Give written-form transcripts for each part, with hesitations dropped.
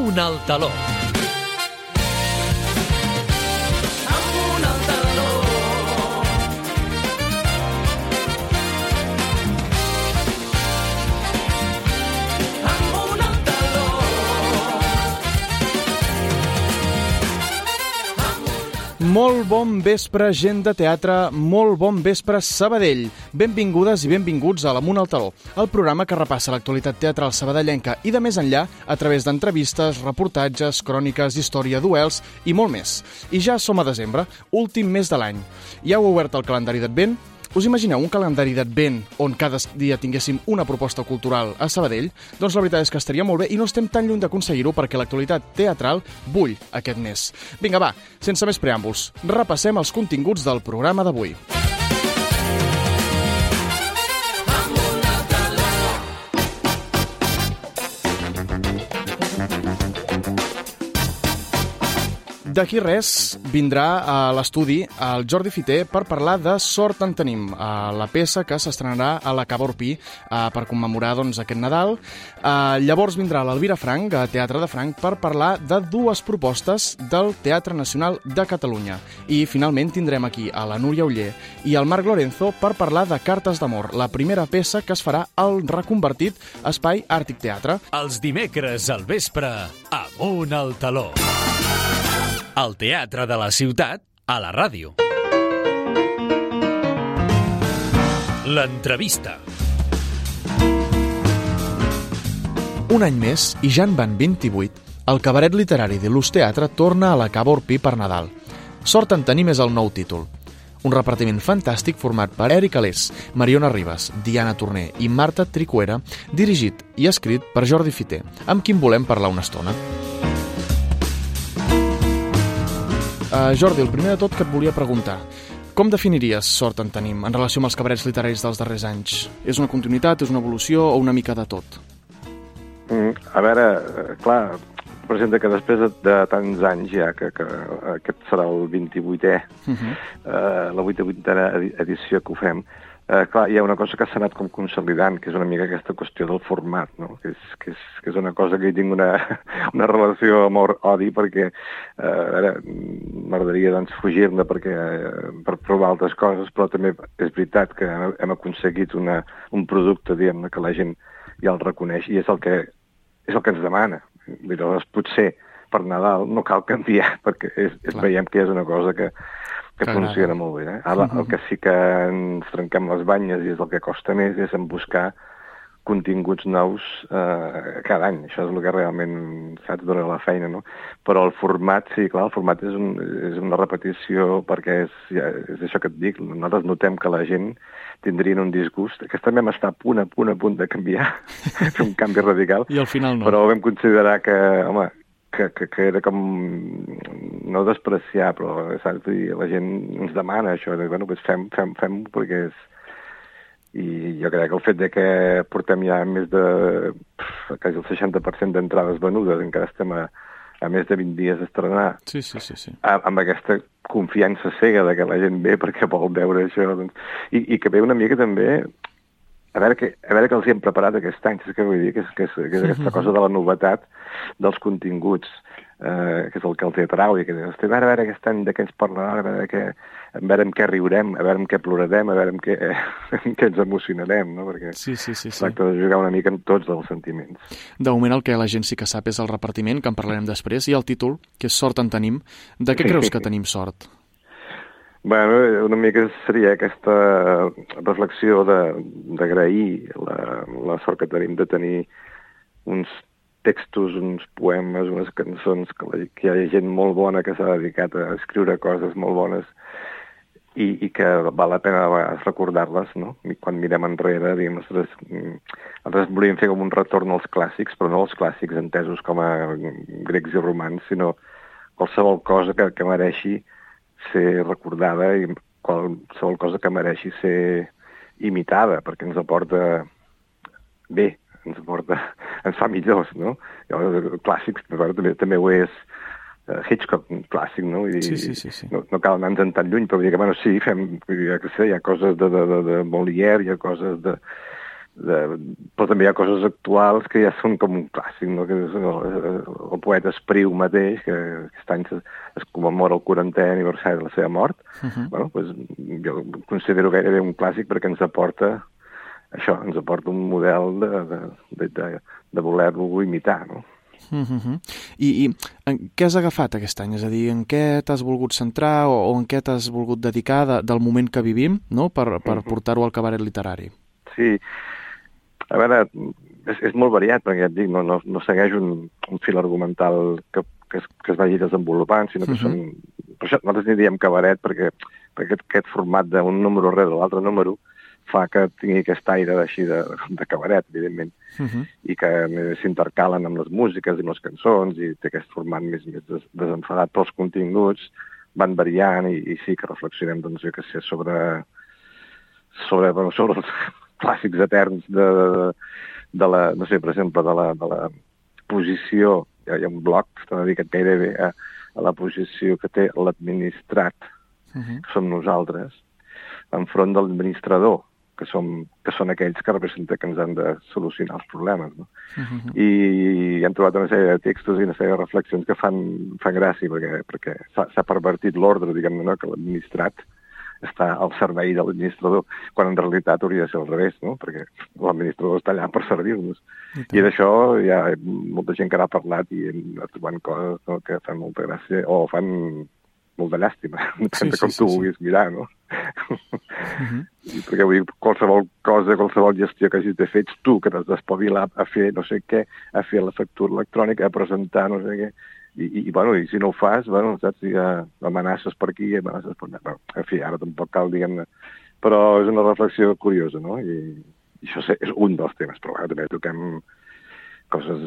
Amunt al taló. Amunt al taló. Amunt al taló. Molt bon vespre, gent de teatre, molt bon vespre, Sabadell. Benvingudes i benvinguts a l'Amunt al taló, el programa que repassa l'actualitat teatral sabadellenca i de més enllà a través d'entrevistes, reportatges, cròniques, història, duels i molt més. I ja som a desembre, últim mes de l'any. Ja heu obert el calendari d'Advent? Us imagineu un calendari d'Advent on cada dia tinguéssim una proposta cultural a Sabadell? Doncs la veritat és que estaria molt bé i no estem tan lluny d'aconseguir-ho perquè l'actualitat teatral bull aquest mes. Vinga, va, sense més preàmbuls, repassem els continguts del programa d'avui. D'aquí res vindrà a l'estudi el Jordi Fiter per parlar de Sort en tenim, la peça que s'estrenarà a la Cava Orpí per commemorar aquest Nadal. Llavors vindrà l'Elvira Frank, a Teatre de Frank, per parlar de dues propostes del Teatre Nacional de Catalunya. I finalment tindrem aquí a la Núria Oller i el Marc Lorenzo per parlar de Cartes d'amor, la primera peça que es farà al reconvertit Espai Àrtic Teatre. Els dimecres al vespre, Amunt al taló. El teatre de la ciutat a la ràdio. L'entrevista. Un any més, i ja en van 28, el cabaret literari de l'Ús Teatre torna a la Cava Orpí per Nadal. Sort en tenim és el nou títol. Un repartiment fantàstic format per Eric Alés, Mariona Ribas, Diana Torner i Marta Tricuera, dirigit i escrit per Jordi Fiter, amb qui en volem parlar una estona. Jordi, el primer de tot que et volia preguntar, com definiries Sort en tenim en relació amb els cabarets literaris dels darrers anys? És una continuïtat, és una evolució o una mica de tot? A veure, clar, presenta que després de tants anys ja, que aquest serà el 28è, la 28a edició que ho fem, clar, hi ha una cosa que s'ha anat com consolidant, que és una mica aquesta qüestió del format, no? que és una cosa que hi tinc una relació amor-odi, perquè m'agradaria doncs, fugir-ne per provar altres coses, però també és veritat que hem aconseguit un producte, diguem-ne, que la gent ja el reconeix, i és el que ens demana. Llavors, potser per Nadal no cal canviar, perquè veiem que és una cosa que funciona molt bé. Ara, el que sí que ens trenquem les banyes i és el que costa més és en buscar continguts nous cada any. Això és el que realment, saps, dona la feina, no? Però el format, sí, clar, el format és una repetició perquè és això que et dic. Nosaltres notem que la gent tindrien un disgust. Aquest també està a punt de canviar, fer un canvi radical. I al final no. Però vam considerar que, home, que era com no despreciar, però saps? La gent ens demana això, bueno, doncs fem perquè és... I jo crec que el fet de que portem ja més de quasi el 60% d'entrades venudes, encara estem a més de 20 dies d'estrenar, sí. Amb aquesta confiança cega de que la gent ve perquè vol veure això, doncs, i que ve una mica també a veure què els hi hem preparat aquest any, és que vull dir que és aquesta cosa de la novetat dels continguts, que és el que els atrau, i que dius, a veure aquest any de què ens parlarà, a veure amb què riurem, a veure amb què plorarem, a veure amb què ens emocionarem, no? Perquè sí. tracta de jugar una mica amb tots els sentiments. De moment el que la gent sí que sap és el repartiment, que en parlarem després, i el títol, que és Sort en tenim. De què creus que tenim sort? Bueno, una mica seria aquesta reflexió d'agrair la sort que tenim de tenir uns textos, uns poemes, unes cançons, que hi ha gent molt bona que s'ha dedicat a escriure coses molt bones i que val la pena a vegades recordar-les, no? I quan mirem enrere, diguem, nosaltres volíem fer com un retorn als clàssics, però no als clàssics entesos com a grecs i romans, sinó qualsevol cosa que mereixi ser recordada i qualsevol cosa que mereixi ser imitada, perquè ens aporta bé, ens fa millors, no? Clàssics, també ho és Hitchcock, un clàssic, no? Sí. No cal anar-nos tan lluny, però dir que, bueno, sí, hi ha coses de Molière, hi ha coses però també hi ha coses actuals que ja són com un clàssic, no? Que és el poeta Espriu mateix, que aquest any es commemora el 40è aniversari de la seva mort. Bueno, doncs jo considero gairebé un clàssic perquè ens aporta això, ens aporta un model de voler-lo imitar, no? I en què has agafat aquest any? És a dir, en què t'has volgut centrar o en què t'has volgut dedicar del moment que vivim, no? per portar-ho al cabaret literari? Sí, a veure, és molt variat, perquè ja et dic, no segueix un fil argumental que es vagi desenvolupant, sinó que són... Per això nosaltres n'hi diem cabaret, perquè aquest format d'un número rere l'altre número fa que tingui aquest aire així de cabaret, evidentment, i que s'intercalen amb les músiques i amb les cançons, i té aquest format més desenfadat, però els continguts van variant i sí que reflexionem, doncs, jo què sé, sobre els clàssics eterns de la, no sé, per exemple, de la posició, hi ha un bloc que està dedicat gairebé a la posició que té l'administrat, que som nosaltres, enfront de l'administrador, que són aquells que representen que ens han de solucionar els problemes, no? I hem trobat una sèrie de textos i una sèrie de reflexions que fan gràcia, perquè s'ha pervertit l'ordre, diguem-ne, no? Que l'administrat està al servei de l'administrador, quan en realitat hauria de ser al revés, no? Perquè l'administrador està allà per servir-nos. I d'això hi ha molta gent que n'ha parlat i hem trobat coses, no? Que fan molta gràcia, o fan molt de llàstima, depèn de com tu vulguis mirar, no? Perquè vull dir, qualsevol cosa, qualsevol gestió que hagis de fer, ets tu que t'has d'espavilar a fer no sé què, a fer la factura electrònica, a presentar no sé què, i si no ho fas, saps, hi ha amenaces per aquí, amenaces per allà. En fi, ara tampoc cal, diguem-ne, però és una reflexió curiosa, no? I això és un dels temes, però també toquem coses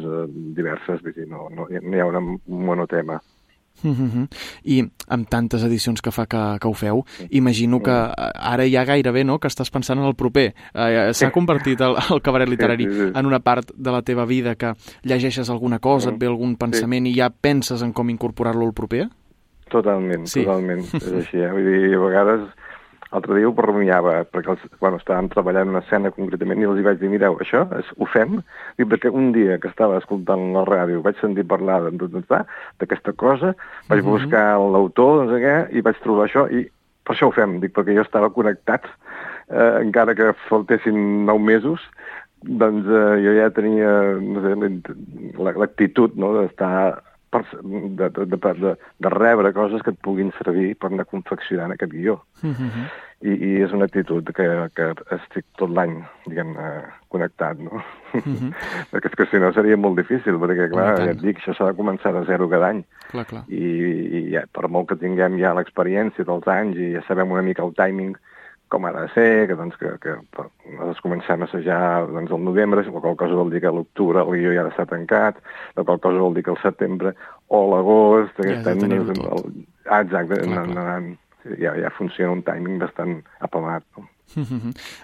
diverses, vull dir, no hi ha un monotema. I amb tantes edicions que fa que ho feu, imagino que ara ja gairebé, no?, que estàs pensant en el proper. S'ha convertit el cabaret literari en una part de la teva vida, que llegeixes alguna cosa, et ve algun pensament i ja penses en com incorporar-lo al proper? Totalment, totalment. És així, vull dir, a vegades... L'altre dia ho rumiava, perquè estàvem treballant una escena concretament i els vaig dir, mireu, això ho fem? Perquè un dia que estava escoltant la ràdio vaig sentir parlar d'aquesta cosa, vaig buscar l'autor, no sé què, i vaig trobar això, i per això ho fem, perquè jo estava connectat, encara que faltessin 9 mesos, doncs jo ja tenia, no sé, l'actitud, no?, d'estar... de rebre coses que et puguin servir per anar confeccionant aquest guió. I és una actitud que estic tot l'any, diguem-ne, connectat, no? Perquè és que si no seria molt difícil, perquè, clar, ja et dic, això s'ha de començar de zero cada any. I per molt que tinguem ja l'experiència dels anys i ja sabem una mica el timing com ha de ser, que nosaltres comencem a assajar al novembre, la qual cosa vol dir que a l'octubre el guió ja ha d'estar tancat, la qual cosa vol dir que al setembre o a l'agost... Exacte, ja funciona un timing bastant apamat, no?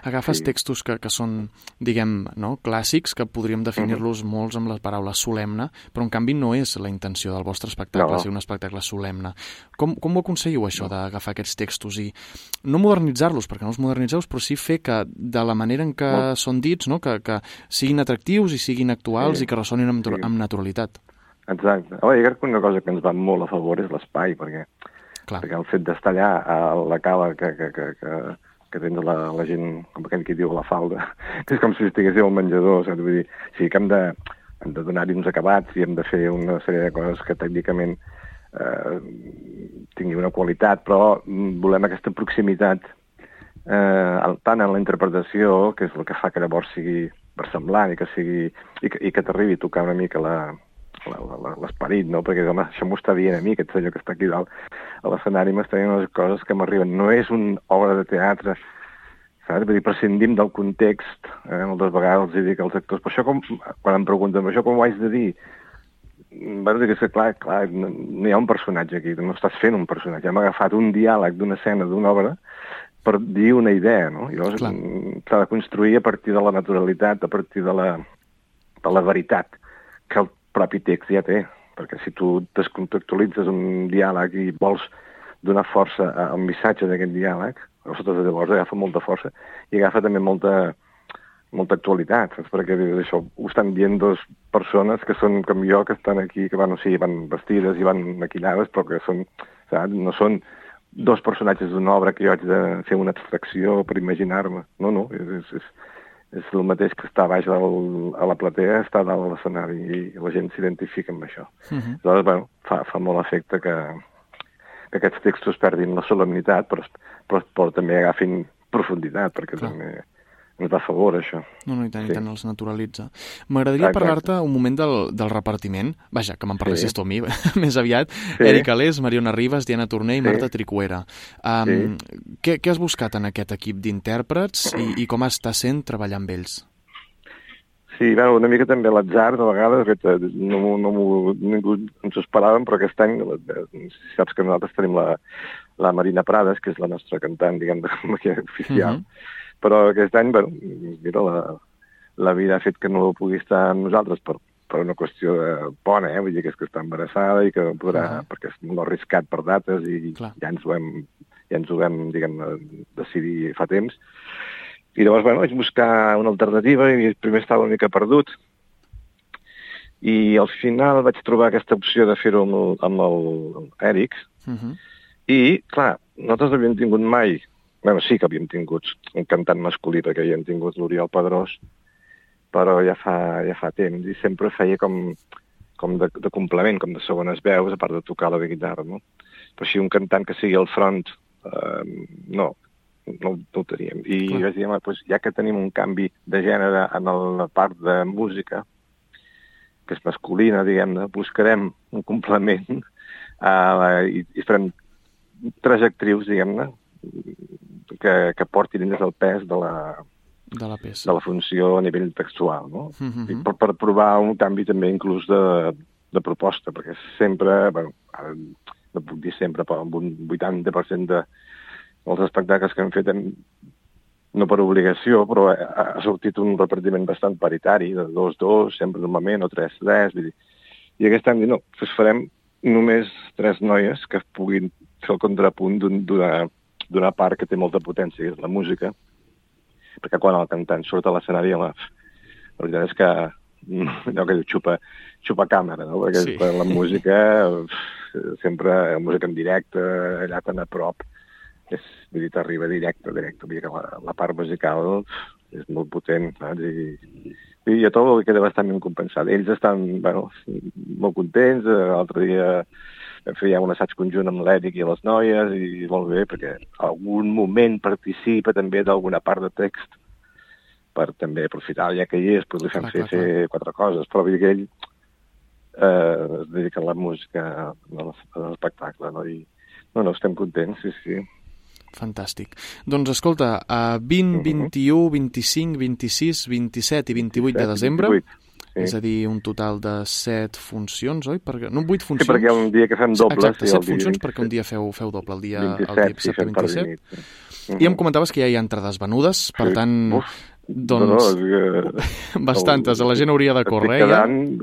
Agafes textos que són, diguem, no, clàssics, que podríem definir-los molts amb la paraula solemne, però en canvi no és la intenció del vostre espectacle, ser un espectacle solemne. Com ho aconseguiu, això, d'agafar aquests textos i no modernitzar-los, perquè no els modernitzeu, però sí fer que, de la manera en què són dits, no, que siguin atractius i siguin actuals i que ressonin amb naturalitat? Exacte. Jo crec que una cosa que ens va molt a favor és l'espai, perquè el fet d'estar allà a la cala que tens la gent, com aquell que diu, a la falda, és com si estiguéssiu al menjador, saps? Vull dir, sí que hem de donar-hi uns acabats i hem de fer una sèrie de coses que tècnicament tingui una qualitat, però volem aquesta proximitat tant en la interpretació, que és el que fa que llavors sigui versemblant i que t'arribi a tocar una mica l'esperit, no? Perquè, home, això m'ho està dient a mi, aquest senyor que està aquí dalt a l'escenari, m'està dient unes coses que m'arriben. No és una obra de teatre, saps? Vull dir, prescindim del context. Moltes vegades els dic als actors, però això quan em pregunten, això com ho haig de dir? Bueno, dic que clar, no hi ha un personatge aquí, no estàs fent un personatge. Hem agafat un diàleg d'una escena, d'una obra, per dir una idea, no? I llavors s'ha de construir a partir de la naturalitat, a partir de la veritat que el propi text ja té, perquè si tu descontextualitzes un diàleg i vols donar força al missatge d'aquest diàleg, llavors agafa molta força i agafa també molta molta actualitat, saps? Perquè això ho estan dient dues persones que són com jo, que estan aquí, que van vestides i van maquillades, però que són, saps? No són dos personatges d'una obra que jo haig de fer una abstracció per imaginar-me. No, és el mateix que està baix a la platea, està dalt a l'escenari i la gent s'identifica amb això. Aleshores, fa molt efecte que aquests textos perdin la solemnitat, però també agafin profunditat, perquè també ens va a favor, això. No, i tant els naturalitza. M'agradaria parlar-te un moment del repartiment. Vaja, que me'n parlessis tu a mi, més aviat. Eric Alés, Mariona Rivas, Diana Torner i Marta Tricuera. Què has buscat en aquest equip d'intèrprets i com està sent treballar amb ells? Sí, una mica també l'atzar, de vegades, ningú ens ho esperàvem, però aquest any, saps que nosaltres tenim la Marina Prades, que és la nostra cantant, diguem, oficial, però aquest any, mira, la vida ha fet que no pugui estar amb nosaltres per una qüestió bona, vull dir que és que està embarassada i que no podrà, perquè és molt arriscat per dates i ja ens ho vam, diguem, decidir fa temps. I llavors, vaig buscar una alternativa i primer estava una mica perdut. I al final vaig trobar aquesta opció de fer-ho amb l'Eric. I, clar, nosaltres no havíem tingut mai, sí que havíem tingut un cantant masculí, perquè havíem tingut l'Oriol Pedrós, però ja fa temps, i sempre feia com de complement, com de segones veus, a part de tocar la guitarra, no? Però així un cantant que sigui al front, no ho teníem. I vaig dir, ja que tenim un canvi de gènere en la part de música, que és masculina, diguem-ne, buscarem un complement i farem 3 actrius, diguem-ne, que portin dins el pes de la peça, de la funció a nivell textual, no? I per provar un canvi també inclús de proposta, perquè sempre, no puc dir sempre, però amb un 80% dels espectacles que hem fet, no per obligació, però ha sortit un repartiment bastant paritari, de 2-2, sempre normalment, o 3-3, i aquest any, farem només 3 noies que puguin fer el contrapunt d'una part que té molta potència, que és la música, perquè quan el cantant surt a l'escenari, la veritat és que allò que diu xupa càmera, no? Perquè la música, sempre la música en directe, allà tan a prop, vull dir, t'arriba directe, vull dir que la part musical és molt potent, saps? I a tot queda bastant ben compensat. Ells estan, molt contents, l'altre dia fèiem un assaig conjunt amb l'Eric i les noies, i molt bé, perquè algun moment participa també d'alguna part de text, per també aprofitar, ja que hi és, li fem fer 4 coses, però vull dir que ell es dedica a la música, a l'espectacle, no? I estem contents, sí. Fantàstic. Doncs escolta, 20, 21, 25, 26, 27 i 28 de desembre, és a dir, un total de 7 funcions, oi? No, 8 funcions. Sí, perquè hi ha un dia que fem doble. Exacte, 7 funcions perquè un dia feu doble, el dia 27 27. I em comentaves que ja hi ha entrades venudes, per tant, doncs, bastantes. La gent hauria de córrer.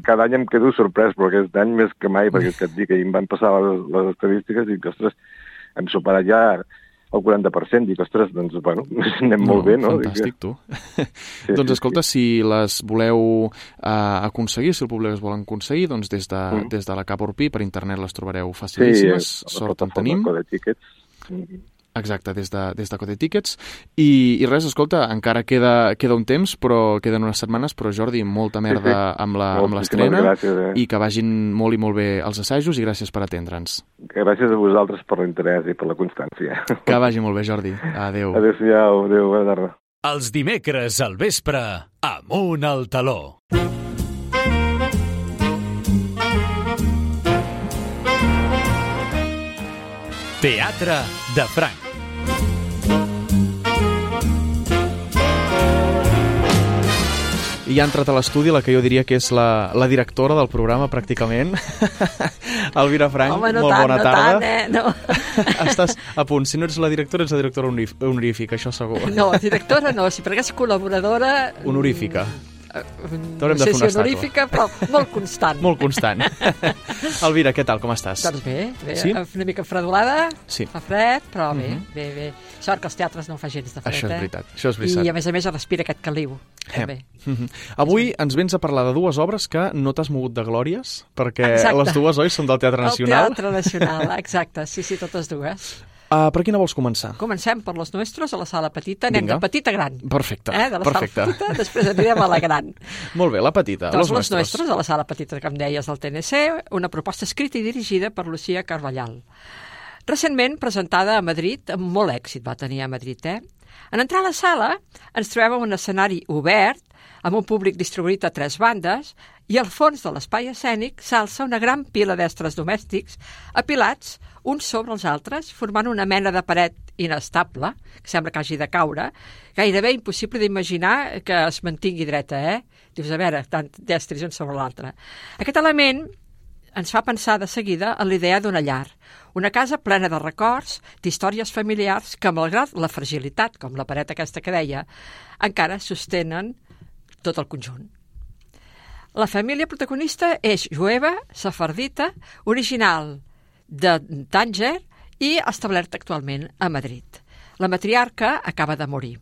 Cada any em quedo sorprès, però aquest any més que mai, perquè et dic que em van passar les estadístiques i que, ostres, hem superat ja el 40%, dic, ostres, doncs, anem molt bé, no? Fantàstic, tu. Doncs, escolta, si les voleu aconseguir, si el públic es volen aconseguir, doncs des de la Cap Urpí, per internet les trobareu facilíssimes, sort en tenim. Exacte, des de Code Tickets. I res, escolta, encara queda un temps, però queden unes setmanes, però Jordi, molta merda amb l'estrena i que vagin molt i molt bé els assajos i gràcies per atendre'ns. Gràcies a vosaltres per l'interès i per la constància. Que vagi molt bé, Jordi. Adéu. Adéu-siau, adéu, bona tarda. Els dimecres al vespre, Amunt al Taló. Teatre de Franc. I ha entrat a l'estudi la que jo diria que és la directora del programa, pràcticament. Elvira Franc, molt bona tarda. No. Estàs a punt. Si no ets la directora honorífica, això segur. No, directora no, si perquè és col·laboradora... Honorífica. T'haurem de fer una estàtua. honorífica, però molt constant. Molt constant. Elvira, què tal, com estàs? Doncs bé, Sí? una mica fredolada, Sí. fa fred, però bé. Sort que els teatres no fa gens de fred, Això és veritat, això és veritat. I a més es respira aquest caliu, també. Avui ens vens a parlar de dues obres que no t'has mogut de glòries, perquè Exacte. les dues, oi, són del Teatre Nacional. El Teatre Nacional, exacte, sí, totes dues. Per quina vols començar? Comencem per los nuestros, a la sala petita, anem Vinga. de petita a gran. Perfecte, De la perfecte. sala petita, després anirem a la gran. Molt bé, la petita, Doncs los los nuestros, a la sala petita, com deies, del TNC, una proposta escrita i dirigida per Lucía Carballal. Recentment presentada a Madrid, amb molt èxit va tenir a Madrid, En entrar a la sala ens trobem en un escenari obert, amb un públic distribuït a 3 bandes, i al fons de l'espai escènic s'alça una gran pila d'estres domèstics apilats uns sobre els altres, formant una mena de paret inestable, que sembla que hagi de caure, gairebé impossible d'imaginar que es mantingui dreta, Dius, a veure, tant d'estris un sobre l'altre. Aquest element ens fa pensar de seguida en l'idea d'una llar, una casa plena de records, d'històries familiars que, malgrat la fragilitat, com la paret aquesta que deia, encara sostenen tot el conjunt. La família protagonista és jueva, sefardita, original de Tànger i establerta actualment a Madrid. La matriarca acaba de morir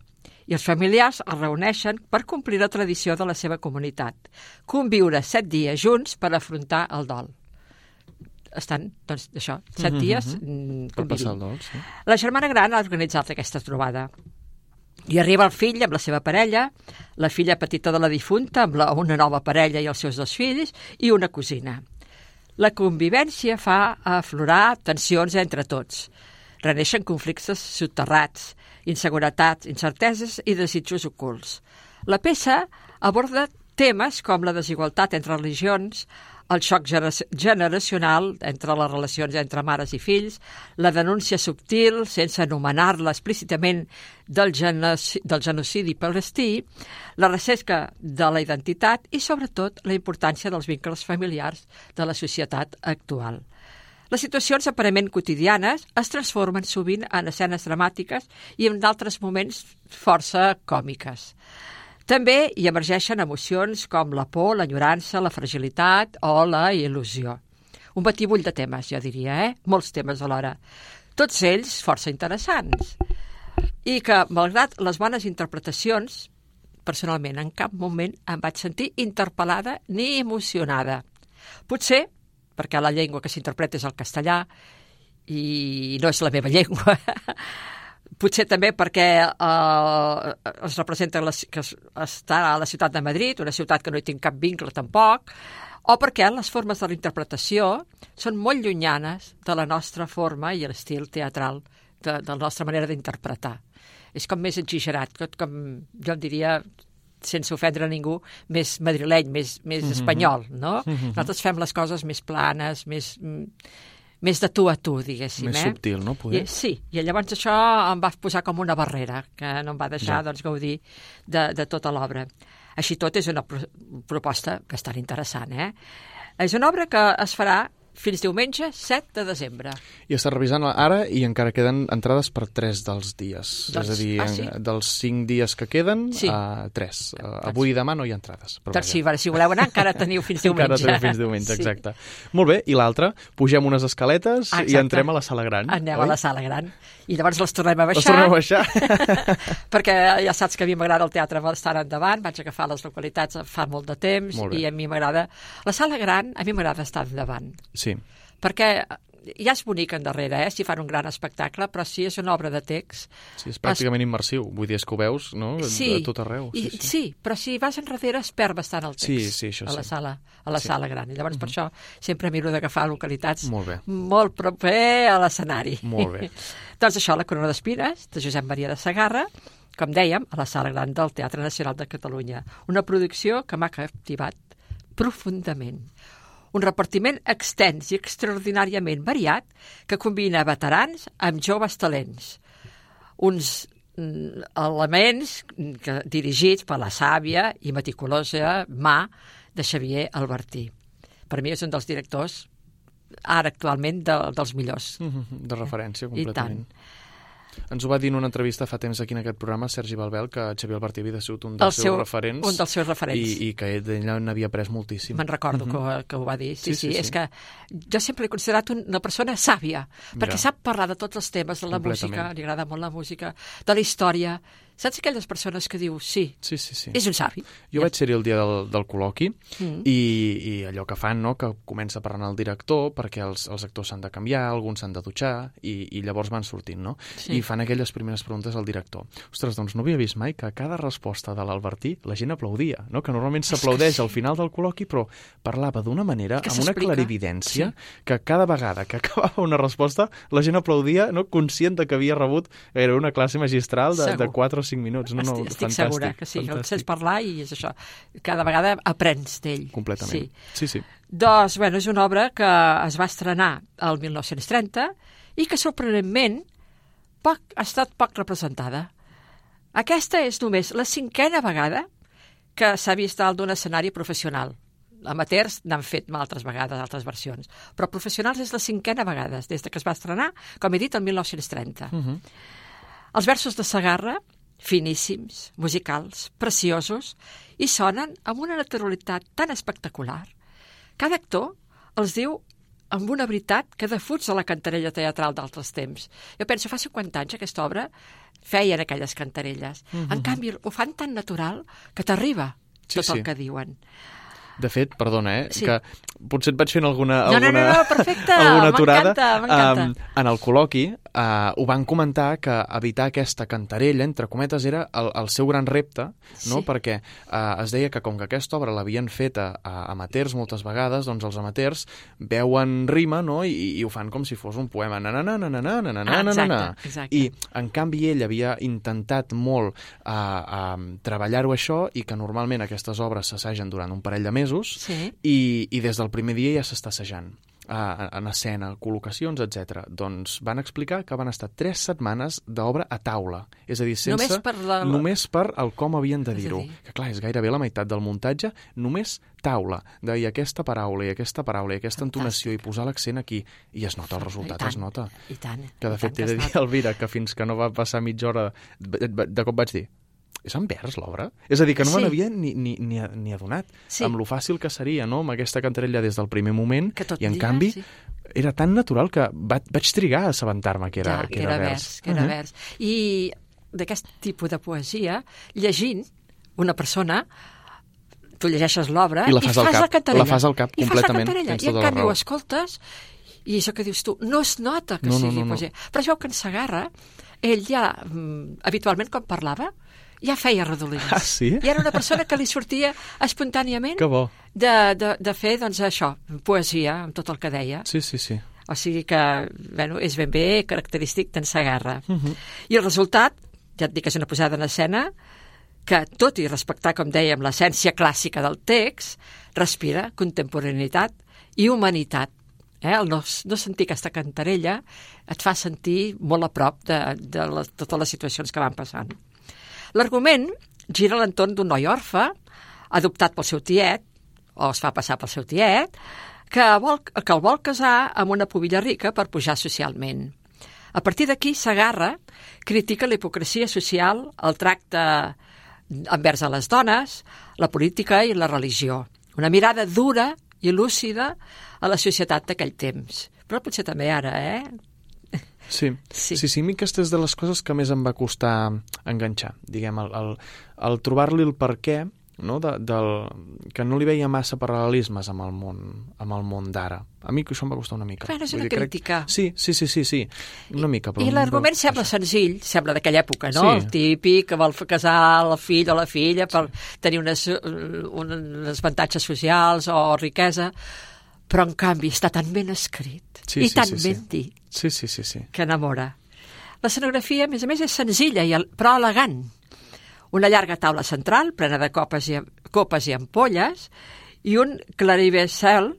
i els familiars es reuneixen per complir la tradició de la seva comunitat, conviure 7 dies junts per afrontar el dol. Estan, doncs, això, 7 dies Per passar el dol, sí. La germana gran ha organitzat aquesta trobada. I arriba el fill amb la seva parella, la filla petita de la difunta amb una nova parella i els seus 2 fills i una cosina. La convivència fa aflorar tensions entre tots. Reneixen conflictes soterrats, inseguretats, incerteses i desitjos ocults. La peça aborda temes com la desigualtat entre religions, el xoc generacional entre les relacions entre mares i fills, la denúncia subtil, sense anomenar-la explícitament, del genocidi palestí, la recerca de la identitat i, sobretot, la importància dels vincles familiars de la societat actual. Les situacions aparentment quotidianes es transformen sovint en escenes dramàtiques i en d'altres moments força còmiques. També hi emergeixen emocions com la por, l'enyorança, la fragilitat o la il·lusió. Un batibull de temes, jo diria, Molts temes alhora. Tots ells força interessants. I que, malgrat les bones interpretacions, personalment en cap moment em vaig sentir interpel·lada ni emocionada. Potser perquè la llengua que s'interpreta és el castellà i no és la meva llengua. Potser també perquè es representa que està a la ciutat de Madrid, una ciutat que no hi tinc cap vincle tampoc, o perquè les formes de la interpretació són molt llunyanes de la nostra forma i l'estil teatral, de la nostra manera d'interpretar. És com més exagerat, com jo diria, sense ofendre a ningú, més madrileny, més espanyol, no? Nosaltres fem les coses més planes, més de tu a tu, diguéssim. Més subtil, no? Sí, i llavors això em va posar com una barrera, que no em va deixar gaudir de tota l'obra. Així tot és una proposta bastant interessant, És una obra que es farà fins diumenge 7 de desembre. I estàs revisant ara i encara queden entrades per 3 dels dies. Doncs, és a dir, sí? dels 5 dies que queden, sí. 3. Avui i demà no hi ha entrades. Doncs sí, si voleu anar encara teniu fins diumenge. Encara teniu fins diumenge, exacte. Molt bé, i l'altra, pugem unes escaletes i entrem a la sala gran. Anem a la sala gran. I llavors les tornem a baixar. Les tornem a baixar. Perquè ja saps que a mi m'agrada el teatre bastant endavant, vaig agafar les localitats fa molt de temps i a mi m'agrada... La sala gran, a mi m'agrada estar endavant. Sí. Perquè ja és bonic endarrere, si fan un gran espectacle, però si és una obra de text... Sí, és pràcticament immersiu. Vull dir, és que ho veus, no? Sí, a tot arreu. Sí, però si vas enrere es perd bastant el text. Sí, això a la sala gran. I llavors per això sempre miro d'agafar localitats molt proper a l'escenari. Molt bé. Doncs això, La corona d'espines, de Josep Maria de Segarra, com dèiem, a la sala gran del Teatre Nacional de Catalunya. Una producció que m'ha captivat profundament. Un repartiment extens i extraordinàriament variat que combina veterans amb joves talents. Uns elements dirigits per la sàvia i meticulosa mà de Xavier Albertí. Per mi és un dels directors ara actualment dels millors. De referència, completament. I tant. Ens ho va dir en una entrevista fa temps aquí en aquest programa Sergi Balbel, que Xavier Albertí havia sigut un dels seus referents. Un dels seus referents. I que d'ella n'havia après moltíssim. Me'n recordo que ho va dir. Sí. És que jo sempre l'he considerat una persona sàvia, perquè sap parlar de tots els temes, de la música, li agrada molt la música, de la història. Saps aquelles persones que diu sí. És un savi. Jo vaig ser-hi el dia del col·loqui i allò que fan, no?, que comença parlant el director perquè els actors s'han de canviar, alguns s'han de dutxar i llavors van sortint, no? Sí. I fan aquelles primeres preguntes al director. Ostres, doncs no havia vist mai que a cada resposta de l'Albertí la gent aplaudia, no? Que normalment s'aplaudeix al final del col·loqui, però parlava d'una manera, amb una clarividència, que cada vegada que acabava una resposta la gent aplaudia, no?, conscient de que havia rebut gairebé una classe magistral de 4 o 5 minuts. Estic segura que sí, el sents parlar i és això. Cada vegada aprens d'ell. Completament. Sí. Doncs, és una obra que es va estrenar el 1930 i que, sorprenentment, ha estat poc representada. Aquesta és només la 5a vegada que s'ha vist dalt d'un escenari professional. Amateurs n'han fet altres vegades, altres versions. Però professionals és la 5a vegada, des que es va estrenar, com he dit, el 1930. Els versos de Segarra, finíssims, musicals, preciosos, i sonen amb una naturalitat tan espectacular. Cada actor els diu amb una veritat que defuig a la cantarella teatral d'altres temps. Jo penso, fa 50 anys aquesta obra feien aquelles cantarelles. En canvi, ho fan tan natural que t'arriba tot el que diuen. De fet, perdona, que potser et vaig fent alguna perfecte, aturada. M'encanta. En el col·loqui ho van comentar que evitar aquesta cantarella, entre cometes, era el seu gran repte, no? Perquè es deia que com que aquesta obra l'havien fet a amateurs moltes vegades, doncs els amateurs veuen rima, no?, i ho fan com si fos un poema. Exacte. I, en canvi, ell havia intentat molt treballar-ho això i que normalment aquestes obres s'assagen durant un parell de mesos i des del primer dia ja s'està assajant en escena, col·locacions, etc. Doncs van explicar que van estar 3 setmanes d'obra a taula. És a dir, només per el com havien de dir-ho. Que clar, és gairebé la meitat del muntatge, només taula. De dir aquesta paraula i aquesta entonació i posar l'accent aquí. I es nota, el resultat es nota. I tant. Que de fet t'he de dir, Elvira, que fins que no va passar mitja hora de cop vaig dir és en vers, l'obra? És a dir, que no me n'havia ni adonat amb lo fàcil que seria, no?, amb aquesta cantarella des del primer moment, i en canvi era tan natural que vaig trigar a assabentar-me que era vers. Que era vers. I d'aquest tipus de poesia, llegint una persona, tu llegeixes l'obra i fas la cantarella. La fas al cap completament. I en canvi ho escoltes i això que dius tu, no es nota que sigui poesia. Però es veu que en Segarra, ell ja, habitualment quan parlava, ja feia redolins. Ah, sí? I era una persona que li sortia espontàniament de fer, doncs, això, poesia, amb tot el que deia. Sí. O sigui que, és ben bé característic d'en Segarra. I el resultat, ja et dic que és una posada en escena, que, tot i respectar, com dèiem, l'essència clàssica del text, respira contemporaneïtat i humanitat. El no sentir aquesta cantarella et fa sentir molt a prop de totes les situacions que van passant. L'argument gira a l'entorn d'un noi orfe, adoptat pel seu tiet, o es fa passar pel seu tiet, que el vol casar amb una pubilla rica per pujar socialment. A partir d'aquí, Segarra critica la hipocresia social, el tracte envers a les dones, la política i la religió. Una mirada dura i lúcida a la societat d'aquell temps. Però potser també ara, Sí, a mi aquesta és de les coses que més em va costar enganxar, diguem, el trobar-li el perquè, no? Que no li veia massa paral·lelismes amb el món d'ara. A mi això em va costar una mica. És una crítica. Sí, una mica. I l'argument sembla senzill, sembla d'aquella època, no? El típic que vol casar el fill o la filla per tenir uns avantatges socials o riquesa, però en canvi està tan ben escrit i tan ben dit que enamora. L'escenografia, a més, és senzilla però elegant. Una llarga taula central plena de copes i ampolles i un claricèmbal,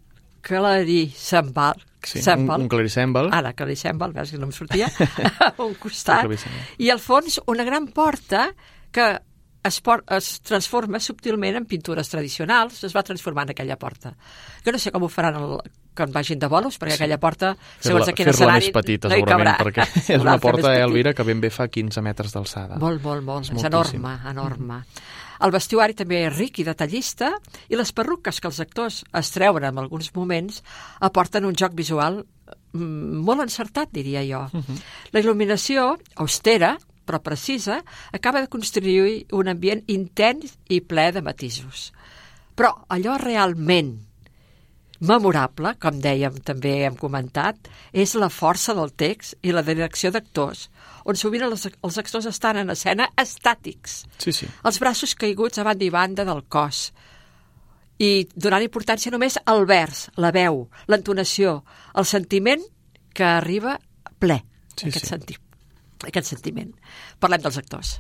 un claricèmbal. Ara, claricèmbal, veus que no em sortia, a un costat. I al fons una gran porta que es transforma subtilment en pintures tradicionals, es va transformar en aquella porta. Jo no sé com ho faran quan vagin de bolos, perquè aquella porta, segons a quin Fer-la escenari, més petita, no hi cabrà. segurament, perquè és una porta, Elvira, que ben bé fa 15 metres d'alçada. Molt, és enorme. El vestuari també és ric i detallista, i les perruques que els actors es treuen en alguns moments aporten un joc visual molt encertat, diria jo. La il·luminació, austera, però precisa, acaba de construir un ambient intens i ple de matisos. Però allò realment memorable, com dèiem, també hem comentat, és la força del text i la direcció d'actors, on sovint els actors estan en escena estàtics. Sí. Els braços caiguts a banda i banda del cos, i donant importància només al vers, la veu, l'entonació, el sentiment que arriba ple, aquest sentiment. Parlem dels actors.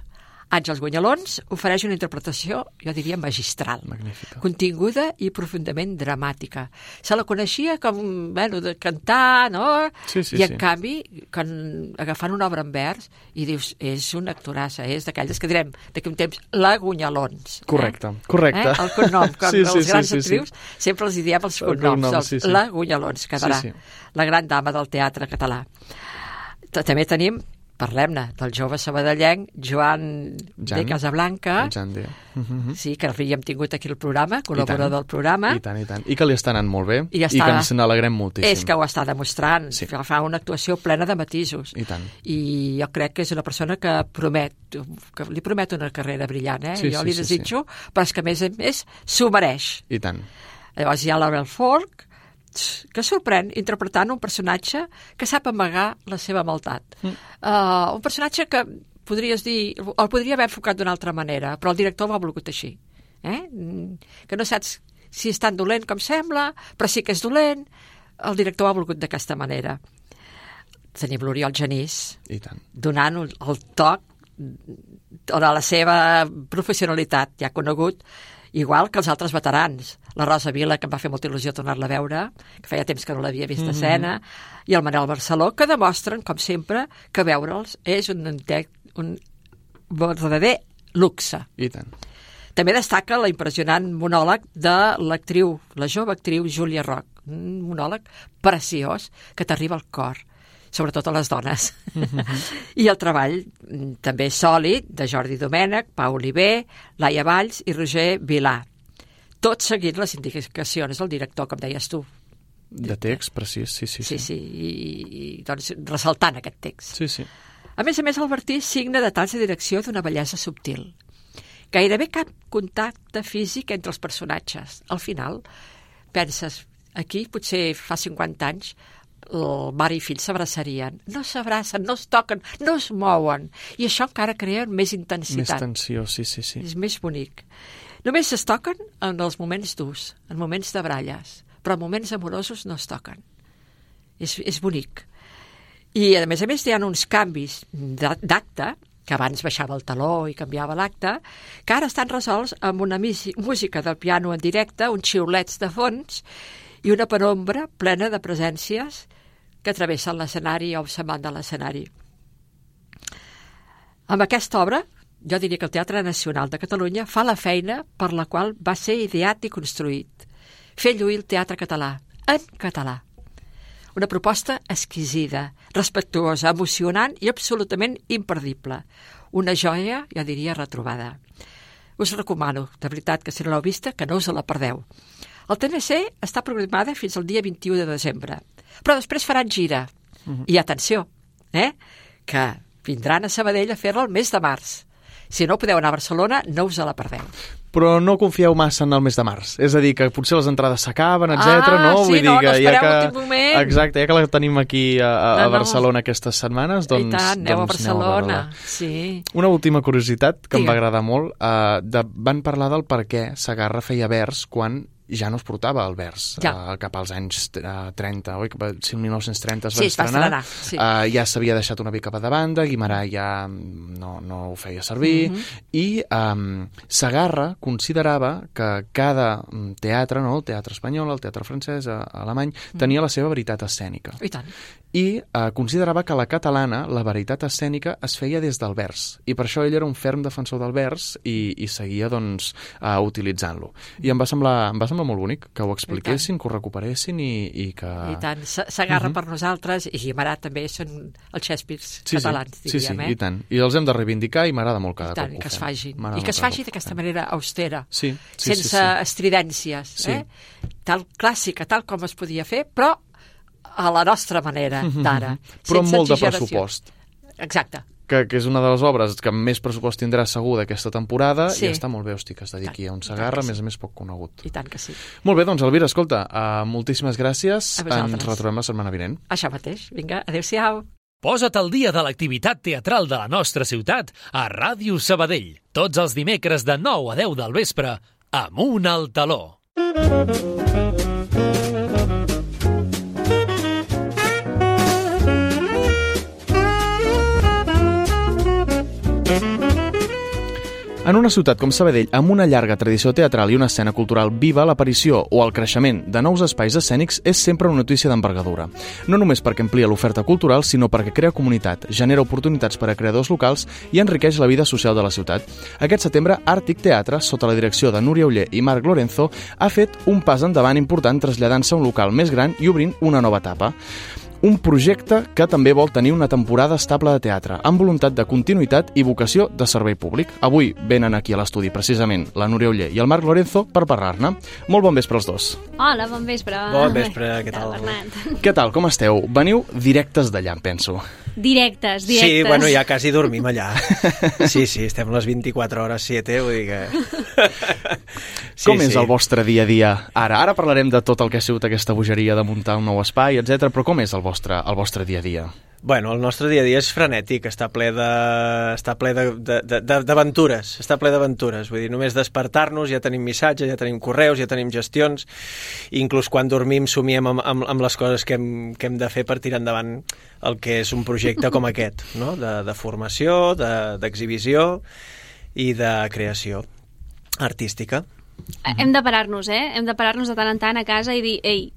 Àngels Guanyalons ofereix una interpretació, jo diria, magistral. Magnífica. Continguda i profundament dramàtica. Se la coneixia com, de cantar, no? Sí, I en canvi, agafant una obra en vers, i dius, és una actorassa, és d'aquelles que direm d'aquí un temps, la Guanyalons. Correcte. El cognom, com els grans actrius, sempre els diem els cognoms, la Guanyalons, quedarà. La gran dama del teatre català. També tenim, parlem-ne, del jove sabadellenc Joan de Casablanca, sí, que l'havíem tingut aquí al programa, col·laborador del programa. I tant. I que li està anant molt bé, i que ens n'alegrem moltíssim. És que ho està demostrant, fa una actuació plena de matisos. I tant. I jo crec que és una persona que li promet una carrera brillant, jo li desitjo, però és que a més s'ho mereix. I tant. Llavors hi ha la Belfort, que sorprèn interpretant un personatge que sap amagar la seva maldat. Un personatge que podries dir, el podria haver enfocat d'una altra manera, però el director ho ha volgut així. Que no saps si és tan dolent com sembla, però sí que és dolent. El director ho ha volgut d'aquesta manera. Tenim l'Oriol Genís, donant el toc de la seva professionalitat, ja conegut, igual que els altres veterans. La Rosa Vila, que em va fer molta il·lusió tornar-la a veure, que feia temps que no l'havia vist a escena, i el Manel Barceló, que demostren, com sempre, que veure'ls és un verdader luxe. I tant. També destaca la impressionant monòleg de l'actriu, la jove actriu Júlia Roch, un monòleg preciós que t'arriba al cor, sobretot a les dones. I el treball també sòlid de Jordi Domènech, Pau Oliver, Laia Valls i Roger Vilà. Tot seguint les indicacions del director, com deies tu. De text, precís, sí. Sí, i doncs ressaltant aquest text. Sí. A més, el Bertí signa detalls de direcció d'una bellesa subtil. Gairebé cap contacte físic entre els personatges. Al final, penses, aquí potser fa 50 anys el mare i fill s'abraçarien. No s'abracen, no es toquen, no es mouen. I això encara crea més intensitat. Més tensió, sí. És més bonic. Només es toquen en els moments durs, en moments de baralles, però en moments amorosos no es toquen. És bonic. I, a més, hi ha uns canvis d'acte, que abans baixava el taló i canviava l'acte, que ara estan resolts amb una música del piano en directe, uns xiulets de fons i una penombra plena de presències que travessen l'escenari o se'n van de l'escenari. Amb aquesta obra, jo diria que el Teatre Nacional de Catalunya fa la feina per la qual va ser ideat i construït. Fer lluir el teatre català, en català. Una proposta exquisida, respectuosa, emocionant i absolutament imperdible. Una joia, jo diria, retrobada. Us recomano, de veritat, que si no l'heu vista, que no us la perdeu. El TNC està programada fins al dia 21 de desembre, però després faran gira. I atenció, que vindran a Sabadell a fer-la el mes de març. Si no podeu anar a Barcelona, no us la perdeu. Però no confieu massa en el mes de març. És a dir, que potser les entrades s'acaben, etc. No? Sí, Vull dir que no espereu l'últim moment. Exacte, ja que la tenim aquí a Barcelona aquestes setmanes, doncs... I tant, aneu a Barcelona, sí. Una última curiositat que em va agradar molt. Van parlar del per què Segarra feia vers quan ja no es portava el vers cap als anys 30, oi? Si el 1930 es va estrenar, ja s'havia deixat una mica de banda, Guimarà ja no ho feia servir, i Segarra considerava que cada teatre, el teatre espanyol, el teatre francès, alemany, tenia la seva veritat escènica. I tant. i considerava que la catalana, la veritat escènica, es feia des del vers, i per això ell era un ferm defensor del vers i seguia doncs, utilitzant-lo. I em va semblar molt bonic que ho expliquessin, que ho recuperessin i que... I tant, s'agarra per nosaltres, i Guimarà també són els Shakespeare catalans, diríem. I tant. I els hem de reivindicar i m'agrada molt cada cop que ho fem. I que es faci d'aquesta manera austera, sense estridències, tal clàssica, tal com es podia fer, però a la nostra manera d'ara. Però amb molt de pressupost. Exacte. Que és una de les obres que més pressupost tindrà segur d'aquesta temporada, i està molt bé, que es dediqui a un Segarra, a més poc conegut. I tant que sí. Molt bé, doncs, Elvira, escolta, moltíssimes gràcies. Ens retrobem la setmana vinent. Això mateix. Vinga, adéu-siau. Posa't al dia de l'activitat teatral de la nostra ciutat a Ràdio Sabadell. Tots els dimecres de 9 a 10 del vespre, Amunt al Taló. En una ciutat com Sabadell, amb una llarga tradició teatral i una escena cultural viva, l'aparició o el creixement de nous espais escènics és sempre una notícia d'envergadura. No només perquè amplia l'oferta cultural, sinó perquè crea comunitat, genera oportunitats per a creadors locals i enriqueix la vida social de la ciutat. Aquest setembre, Àrtic Teatre, sota la direcció de Núria Oller i Marc Lorenzo, ha fet un pas endavant important traslladant-se a un local més gran i obrint una nova etapa. Un projecte que també vol tenir una temporada estable de teatre, amb voluntat de continuïtat i vocació de servei públic. Avui venen aquí a l'estudi, precisament, la Núria Oller i el Marc Lorenzo per parlar-ne. Molt bon vespre als dos. Hola, bon vespre. Bon vespre, què tal? Què tal, com esteu? Veniu directes d'allà, em penso. Directes. Sí, bueno, ja quasi dormim allà. Sí, estem les 24 hores 7, vull dir que... Com és el vostre dia a dia ara? Ara parlarem de tot el que ha sigut aquesta bogeria de muntar un nou espai, etc. Però com és el vostre dia a dia? Bueno, el nostre dia a dia és frenètic, està ple d'aventures, està ple d'aventures. Vull dir, només despertar-nos ja tenim missatges, ja tenim correus, ja tenim gestions, i inclús quan dormim somiem amb les coses que hem de fer per tirar endavant el que és un projecte com aquest, no? De formació, d'exhibició i de creació artística. Hem de parar-nos, Hem de parar-nos de tant en tant a casa i dir, ei,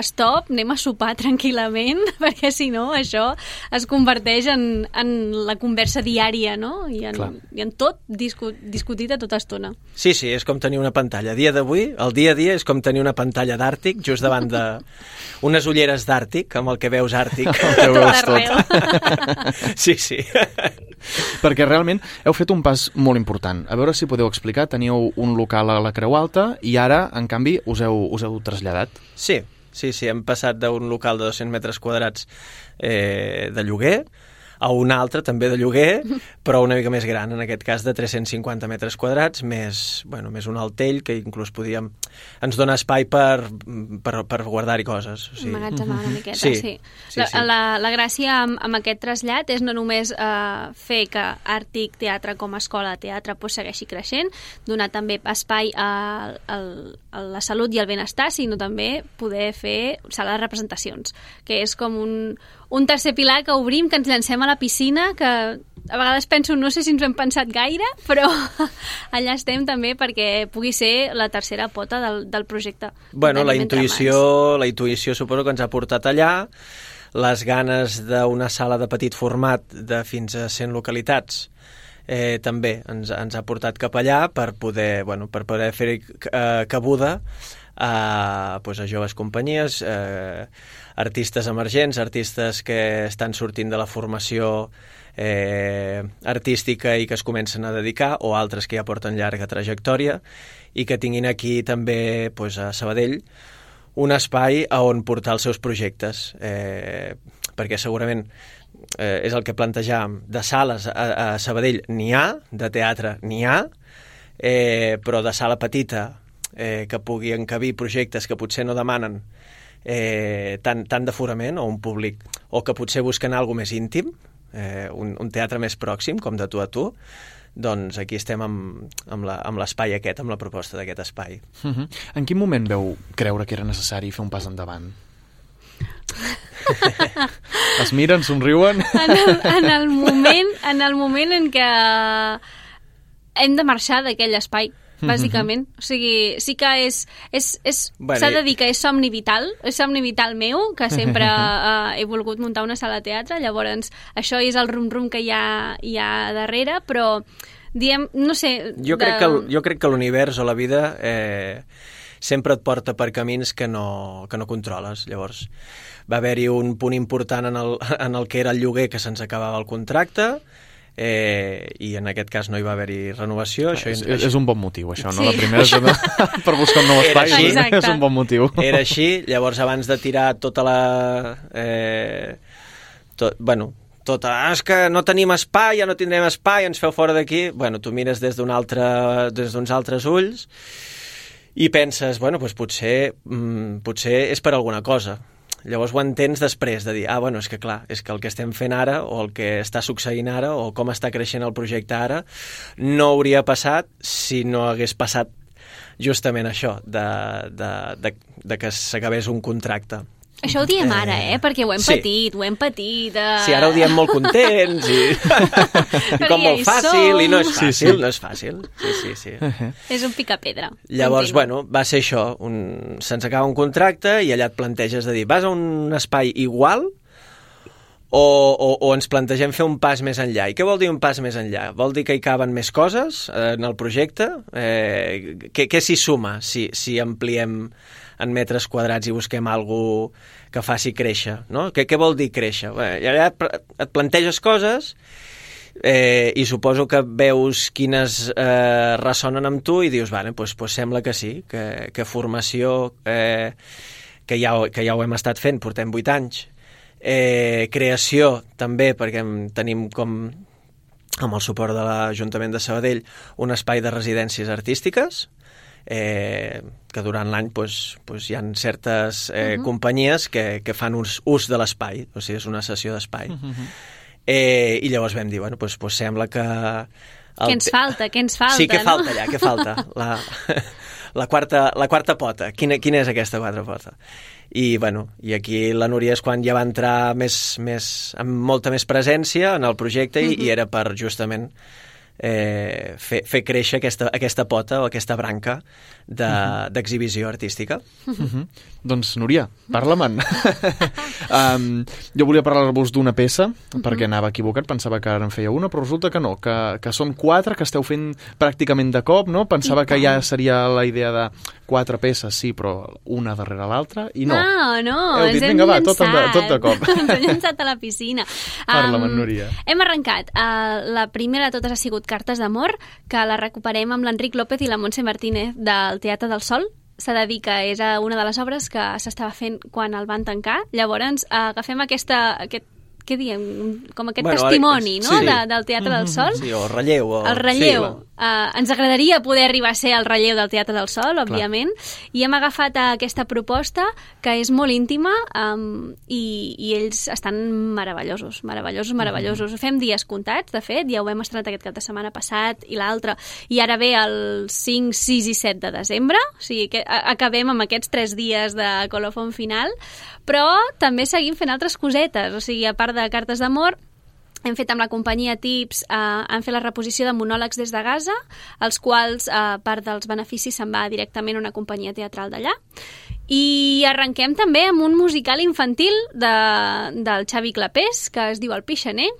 stop, anem a sopar tranquil·lament, perquè si no això es converteix en la conversa diària, no? I en tot discutit a tota estona. Sí, és com tenir una pantalla. El dia a dia és com tenir una pantalla d'Àrtic just davant d'unes ulleres d'Àrtic, amb el que veus Àrtic. Que veus tot. Sí. Perquè realment heu fet un pas molt important. A veure si podeu explicar, teníeu un local a la Creu Alta i ara, en canvi, us heu traslladat. Sí, hem passat d'un local de 200 metres quadrats de lloguer a un altre també de lloguer, però una mica més gran, en aquest cas de 350 metres quadrats, més un altell que inclús ens dona espai per guardar-hi coses. Sí. Emmagatzemar una miqueta, sí. La gràcia amb aquest trasllat és no només fer que Àrtic Teatre com a escola de teatre segueixi creixent, donar també espai a la salut i al benestar, sinó també poder fer sala de representacions, que és com un tercer pilar que obrim, que ens llancem a la piscina, que a vegades penso, no sé si ens ho hem pensat gaire, però allà estem també perquè pugui ser la tercera pota del projecte. Bueno, la intuïció suposo que ens ha portat allà, les ganes d'una sala de petit format de fins a 100 localitats també ens ha portat cap allà per poder fer cabuda a joves companyies, artistes emergents, artistes que estan sortint de la formació artística i que es comencen a dedicar, o altres que ja porten llarga trajectòria i que tinguin aquí també a Sabadell un espai a on portar els seus projectes, perquè segurament és el que plantejàvem, de sales a Sabadell n'hi ha, de teatre n'hi ha, però de sala petita que pugui encabir projectes que potser no demanen tant d'aforament o un públic, o que potser busquen alguna més íntim, un teatre més pròxim, com de tu a tu, doncs aquí estem amb l'espai aquest, amb la proposta d'aquest espai. En quin moment veu creure que era necessari fer un pas endavant? Es miren, somriuen? En el moment en què hem de marxar d'aquell espai, bàsicament. O sigui, sí que s'ha de dir que és somni vital meu, que sempre he volgut muntar una sala de teatre, llavors això és el rum-rum que hi ha darrere, però diem, no sé... Jo crec que l'univers o la vida sempre et porta per camins que no controles. Llavors, va haver-hi un punt important en el que era el lloguer, que se'ns acabava el contracte, i en aquest cas no hi va haver-hi renovació. És un bon motiu, això, no? La primera és per buscar un nou espai, és un bon motiu. Era així, llavors abans de tirar tota la... és que no tenim espai, ja no tindrem espai, ens feu fora d'aquí. Bueno, tu mires des d'uns altres ulls i penses, bueno, doncs potser és per alguna cosa. Llavors ho entens després de dir, és que clar, és que el que estem fent ara o el que està succeint ara o com està creixent el projecte ara no hauria passat si no hagués passat justament això de que s'acabés un contracte. Això ho diem ara, perquè ho hem patit. Sí, ara ho diem molt contents i com molt fàcil, i no és fàcil, no és fàcil. Sí. És un picapedra. Llavors, va ser això, se'ns acaba un contracte i allà et planteges de dir, vas a un espai igual o ens plantegem fer un pas més enllà. I què vol dir un pas més enllà? Vol dir que hi caben més coses en el projecte? Què s'hi suma si ampliem en metres quadrats i busquem alguna que faci créixer, no? Què vol dir créixer? Allà et planteges coses i suposo que veus quines ressonen amb tu i dius, doncs sembla que sí, que formació, que ja ho hem estat fent, portem 8 anys, creació també, perquè tenim com amb el suport de l'Ajuntament de Sabadell un espai de residències artístiques, que durant l'any hi ha certes companyies que fan ús de l'espai, o sigui, és una sessió d'espai. I llavors vam dir, doncs sembla que... Què ens falta, sí, què no? falta allà, què falta? La quarta pota. Quina és aquesta quarta pota? I aquí la Núria és quan ja va entrar amb molta més presència en el projecte i era per justament fer créixer aquesta pota o aquesta branca d'exhibició artística. Doncs, Núria, parla-me'n. Jo volia parlar-vos d'una peça, perquè anava equivocat, pensava que ara en feia una, però resulta que no, que són 4, que esteu fent pràcticament de cop, no? Pensava que ja seria la idea de 4 peces, sí, però una darrere l'altra, i no. No, ens hem llançat. Tot de cop. Ens hem llançat a la piscina. Parla-me'n, Núria. Hem arrencat. La primera de totes ha sigut Cartes d'amor, que la recuperem amb l'Enric López i la Montse Martínez del Teatre del Sol. S'ha de dir que és una de les obres que s'estava fent quan el van tancar. Llavors agafem aquest què diem? Com aquest testimoni, no? Sí. Del Teatre del Sol. Sí, o relleu. El relleu. Ens agradaria poder arribar a ser el relleu del Teatre del Sol, òbviament, i hem agafat aquesta proposta que és molt íntima i ells estan meravellosos. Fem dies comptats, de fet, ja ho hem estrenat aquest cap de setmana passat i l'altre, i ara ve el 5, 6 i 7 de desembre, o sigui que acabem amb aquests 3 dies de colofon final, però també seguim fent altres cosetes, o sigui, a part de Cartes d'amor, hem fet amb la companyia Tips, han fet la reposició de monòlegs des de Gaza, els quals part dels beneficis se'n va directament a una companyia teatral d'allà. I arrenquem també amb un musical infantil del Xavi Clapés, que es diu El Pixaner.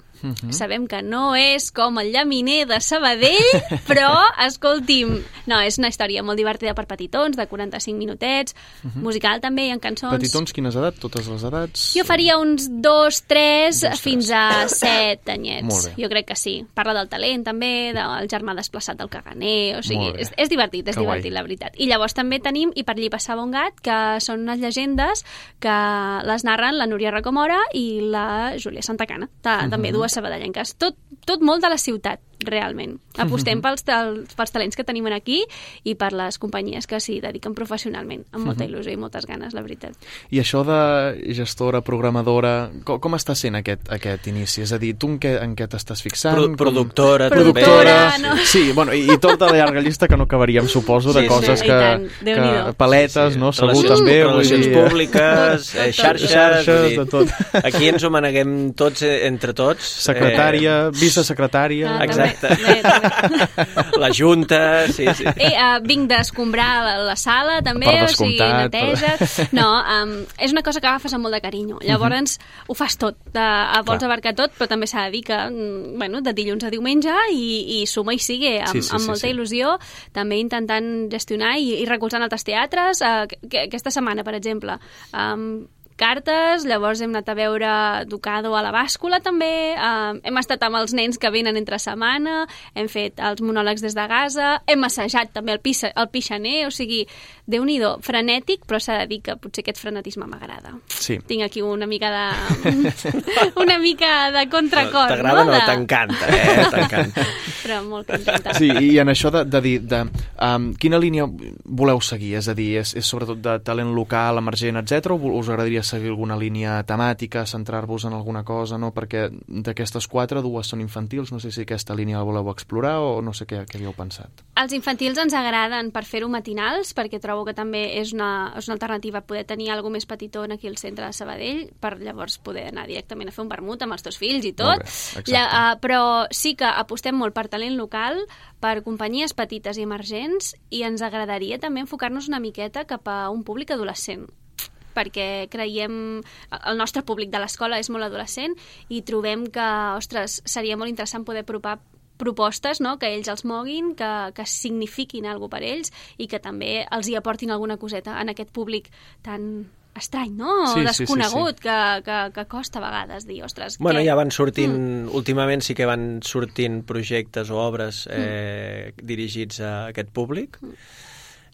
Sabem que no és com el Llaminer de Sabadell, però, escolti'm, no, és una història molt divertida per petitons, de 45 minutets, musical també, hi ha cançons... Petitons, quines edats? Totes les edats? Jo faria uns 2, 3, fins a 7 anyets. Molt bé. Jo crec que sí. Parla del talent, també, del germà desplaçat del caganer, o sigui, és divertit, la veritat. I llavors també tenim I per allí passava un gat, que són unes llegendes que les narren la Núria Rocamora i la Júlia Santacana, també dues sabadellenques. Tot molt de la ciutat, realment. Apostem pels talents que tenim aquí i per les companyies que s'hi dediquen professionalment, amb molta il·lusió i moltes ganes, la veritat. I això de gestora, programadora, com està sent aquest inici? És a dir, tu en què t'estàs fixant? Productora. No? Sí, bueno, i tota la llarga llista que no acabaríem, suposo, de coses que paletes, no? Segur també. Relacions públiques, xarxes, de tot. Aquí ens ho maneguem tots entre tots. Secretària, vicesecretària... Exacte. La junta, sí. Vinc d'escombrar la sala, també, per descomptat, neteja... No, és una cosa que agafes amb molt de carinyo. Llavors, ho fas tot. Vols abarcar tot, però també s'ha de dir que, de dilluns a diumenge i suma i sigue, amb molta il·lusió, també intentant gestionar i recolzant altres teatres. Aquesta setmana, per exemple, cartes, llavors hem anat a veure Ducado a la Bàscula també, hem estat amb els nens que venen entre setmana, hem fet els monòlegs des de Gaza, hem assajat també el Pixaner, o sigui, Déu-n'hi-do, frenètic, però s'ha de dir que potser aquest frenetisme m'agrada. Sí. Tinc aquí una mica de contracor. T'agrada o no? T'encanta, T'encanta. Però molt contenta. Sí, i en això de dir, quina línia voleu seguir? És a dir, és sobretot de talent local, emergent, etc. o us agradaria seguir alguna línia temàtica, centrar-vos en alguna cosa, no? Perquè d'aquestes 4, 2 són infantils, no sé si aquesta línia la voleu explorar o no sé què havíeu pensat. Els infantils ens agraden per fer-ho matinals, perquè trobo que també és una alternativa poder tenir alguna més petitó aquí al centre de Sabadell, per llavors poder anar directament a fer un vermut amb els teus fills i tot. Però sí que apostem molt per talent local, per companyies petites i emergents, i ens agradaria també enfocar-nos una miqueta cap a un públic adolescent, perquè creiem, el nostre públic de l'escola és molt adolescent i trobem que, ostres, seria molt interessant poder apropar propostes, no?, que ells els moguin, que signifiquin alguna cosa per ells i que també els hi aportin alguna coseta en aquest públic tan estrany, no? Desconegut, sí. Que costa a vegades dir, ostres... Bueno, ja van sortint, últimament sí que van sortint projectes o obres dirigits a aquest públic.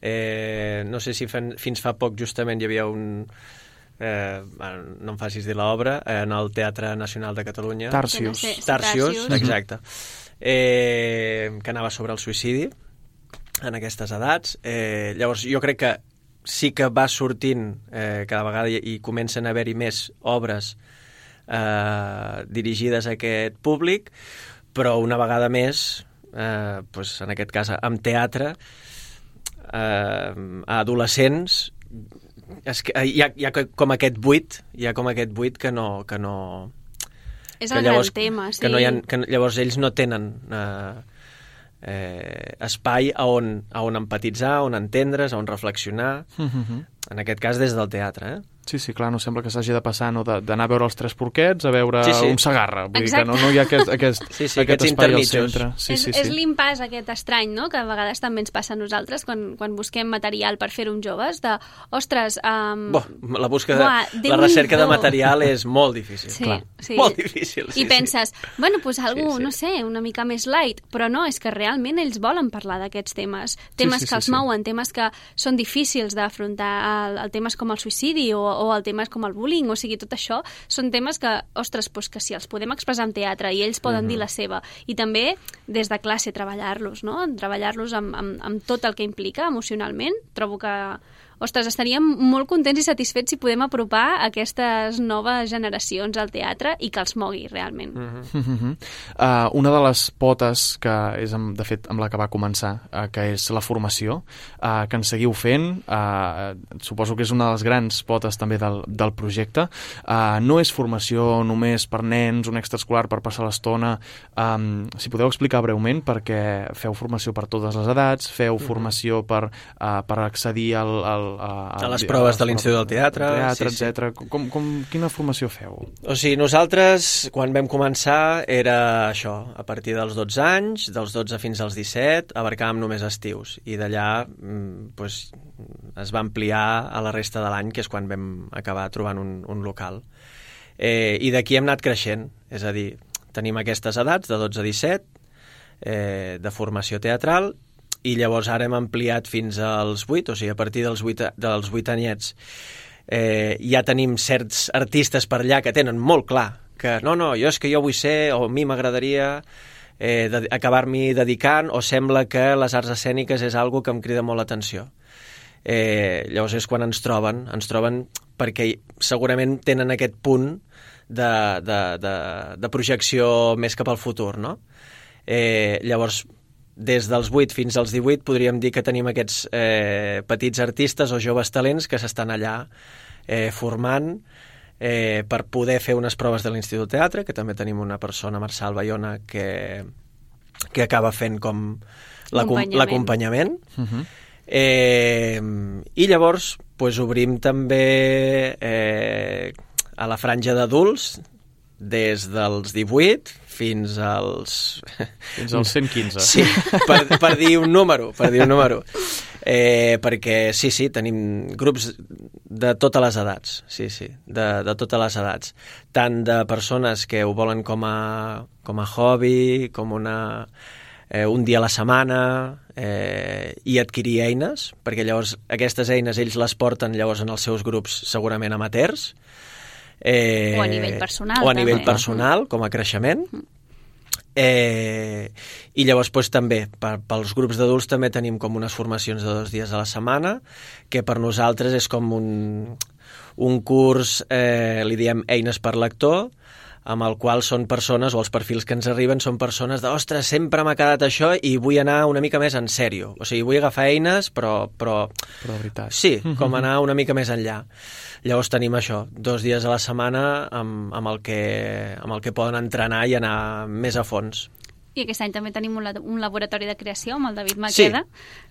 No sé si fins fa poc justament hi havia un... no em facis dir l'obra, en el Teatre Nacional de Catalunya. Tàrsius, exacte. Que anava sobre el suïcidi en aquestes edats. Llavors, jo crec que sí que va sortint cada vegada i comencen a haver-hi més obres dirigides a aquest públic, però una vegada més, doncs, en aquest cas amb teatre, a adolescents, hi ha com aquest buit, que no és el gran tema, sí. Que llavors ells no tenen espai on empatitzar, on entendre's, on reflexionar, en aquest cas des del teatre, Sí, clar, no sembla que s'hagi de passar d'anar a veure els Tres Porquets a veure un Segarra. Vull dir que no hi ha aquest espai al centre. És l'impàs aquest estrany, no?, que a vegades també ens passa a nosaltres quan busquem material per fer-ho amb joves, de, ostres... la recerca de material és molt difícil. Sí. Molt difícil. I penses, bueno, doncs algú, no sé, una mica més light, però no, és que realment ells volen parlar d'aquests temes. Temes que els mouen, temes que són difícils d'afrontar, el temes com el suïcidi o el temes com el bullying, o sigui, tot això són temes que, ostres, doncs que si els podem expressar en teatre i ells poden dir la seva, i també des de classe treballar-los, no?, treballar-los amb tot el que implica emocionalment, trobo que, ostres, estaríem molt contents i satisfets si podem apropar aquestes noves generacions al teatre i que els mogui realment. Una de les potes que és, de fet, amb la que va començar, que és la formació, que en seguiu fent, suposo que és una de les grans potes també del projecte. No és formació només per nens, un extraescolar per passar l'estona. Si podeu explicar breument, perquè feu formació per totes les edats, feu formació per accedir a les proves de l'Institut del Teatre, etc. Quina formació feu? O sigui, nosaltres, quan vam començar, era això, a partir dels 12 anys, dels 12 fins als 17, abarcàvem només estius, i d'allà es va ampliar a la resta de l'any, que és quan vam acabar trobant un local. I d'aquí hem anat creixent, és a dir, tenim aquestes edats, de 12 a 17, de formació teatral, i llavors ara hem ampliat fins als 8, o sigui, a partir dels 8 anyets ja tenim certs artistes per allà que tenen molt clar que no, jo vull ser, o a mi m'agradaria acabar-m'hi dedicant, o sembla que les arts escèniques és algo que em crida molt l'atenció. Llavors és quan ens troben perquè segurament tenen aquest punt de projecció més cap al futur, no? Llavors, des dels 8 fins als 18 podríem dir que tenim aquests petits artistes o joves talents que s'estan allà formant per poder fer unes proves de l'Institut Teatre, que també tenim una persona, Marçal Bayona, que que acaba fent com l'acompanyament. I llavors obrim també a la franja d'adults des dels 18 fins als 115. Sí, per dir un número, perquè sí, tenim grups de totes les edats, de totes les edats, tant de persones que ho volen com a hobby, com un dia a la setmana, i adquirir eines, perquè llavors aquestes eines ells les porten llavors en els seus grups segurament amateurs, o a nivell personal, o a nivell personal, com a creixement. I llavors també pels grups d'adults també tenim com unes formacions de 2 dies a la setmana, que per nosaltres és com un curs, li diem eines per lector, amb el qual són persones, o els perfils que ens arriben són persones de, ostres, sempre m'ha quedat això i vull anar una mica més en sèrio. O sigui, vull agafar eines, però de veritat. Sí, com anar una mica més enllà. Llavors tenim això, 2 dies a la setmana amb el que poden entrenar i anar més a fons. I aquest any també tenim un laboratori de creació amb el David Maqueda,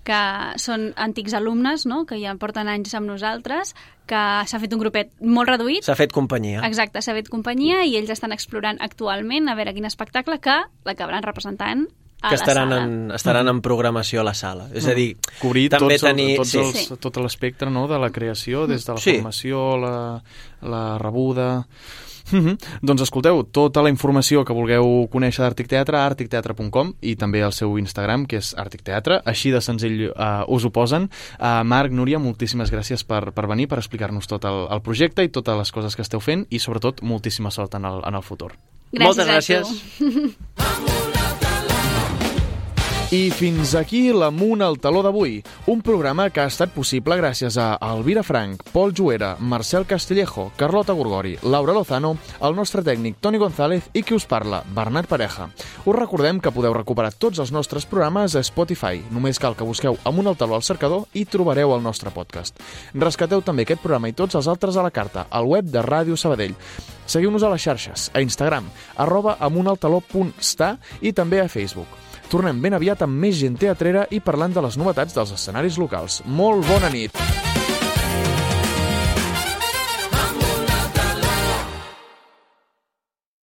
que són antics alumnes, no?, que ja porten anys amb nosaltres, que s'ha fet un grupet molt reduït. S'ha fet companyia. Exacte, s'ha fet companyia i ells estan explorant actualment a veure quin espectacle que l'acabaran representant a que estaran en programació a la sala. És a dir, cobrir també tot l'espectre, no?, de la creació, des de la formació, la rebuda... Doncs escolteu, tota la informació que vulgueu conèixer d'Àrtic Teatre a articteatre.com i també el seu Instagram, que és Àrtic Teatre, així de senzill us ho posen. Marc, Núria, moltíssimes gràcies per venir, per explicar-nos tot el projecte i totes les coses que esteu fent i sobretot moltíssima sort en el futur. Moltes gràcies. I fins aquí l'Amunt al Taló d'avui, un programa que ha estat possible gràcies a Elvira Frank, Pol Juera, Marcel Castillejo, Carlota Gorgori, Laura Lozano, el nostre tècnic Toni González i qui us parla, Bernat Pareja. Us recordem que podeu recuperar tots els nostres programes a Spotify. Només cal que busqueu Amunt al Taló al cercador i trobareu el nostre podcast. Rescateu també aquest programa i tots els altres a la carta, al web de Ràdio Sabadell. Seguiu-nos a les xarxes, a Instagram, @amuntaltaló.sta i també a Facebook. Tornem ben aviat amb més gent teatrera i parlant de les novetats dels escenaris locals. Molt bona nit!